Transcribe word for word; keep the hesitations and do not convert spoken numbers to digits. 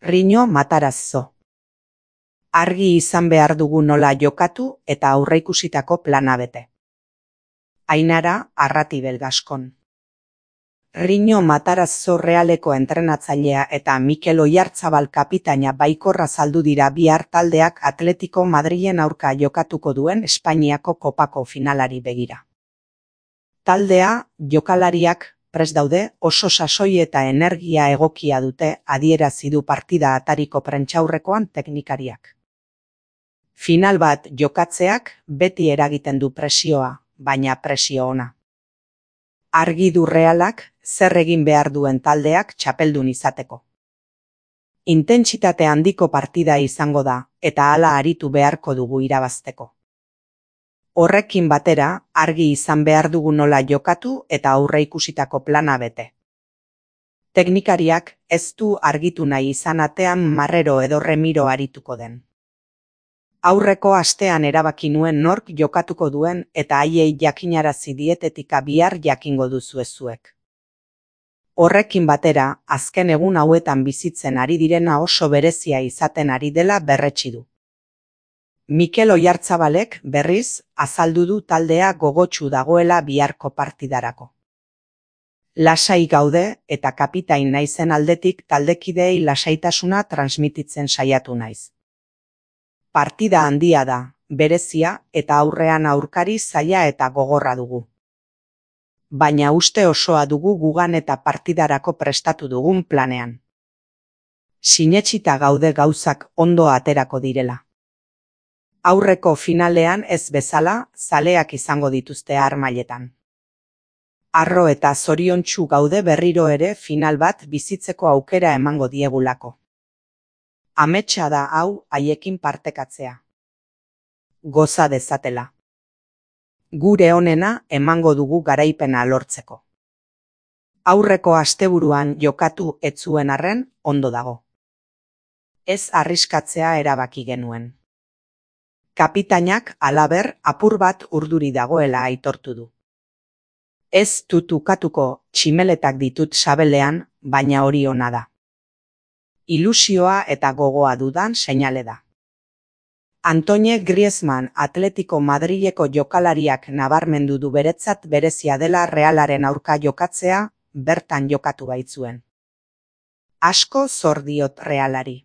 Riño Matarazzo. Argi izan behar dugu nola jokatu eta aurreikusitako plana bete. Ainara Arratibel Gaskon. Riño Matarazzo Realeko entrenatzailea eta Mikel Oiartzabal kapitaina baikorra azaldu dira bihar taldeak Atletico Madrilen aurka jokatuko duen Espainiako kopako finalari begira. Taldea, jokalariak, prest daude, oso sasoi eta energia egokia dute, adierazi du partida atariko prentsaurrekoan teknikariak. Final bat jokatzeak beti eragiten du presioa, baina presio ona. Argi du Realak zer egin behar duen taldeak txapeldun izateko. Intentsitate handiko partida izango da, eta hala aritu beharko dugu irabazteko. Horrekin batera, argi izan behar dugu nola jokatu eta aurreikusitako plana bete. Teknikariak ez du argitu nahi izan atean Marrero edo Remiro arituko den. Aurreko astean erabaki nuen nork jokatuko duen eta haiei jakinarazi dietetika bihar jakingo duzue zuek. Horrekin batera, azken egun hauetan bizitzen ari direna oso berezia izaten ari dela berretsi du. Mikel Oiartzabalek, berriz, azaldu du taldea gogotsu dagoela biharko partidarako. Lasai gaude eta kapitain naizen aldetik taldekideei lasaitasuna transmititzen saiatu naiz. Partida handia da, berezia eta aurrean aurkari zaila eta gogorra dugu. Baina uste osoa dugu gugan eta partidarako prestatu dugun planean. Sinetsita gaude gauzak ondo aterako direla. Aurreko finalean ez bezala, zaleak izango dituzte harmailetan. Harro eta zoriontsu gaude berriro ere final bat bizitzeko aukera emango diegulako. Ametsa da hau haiekin partekatzea. Goza dezatela. Gure onena emango dugu garaipena lortzeko. Aurreko asteburuan jokatu ez zuen arren ondo dago. Ez arriskatzea erabaki genuen. Kapitainak halaber apur bat urduri dagoela aitortu du. Ez dut ukatuko, tximeletak ditut sabelean, baina hori ona da. Ilusioa eta gogoa dudan seinale da. Antoine Griezmann Atletico Madrileko jokalariak nabarmendu du beretzat berezia dela Realaren aurka jokatzea, bertan jokatu baitzuen. Asko zor diot Realari.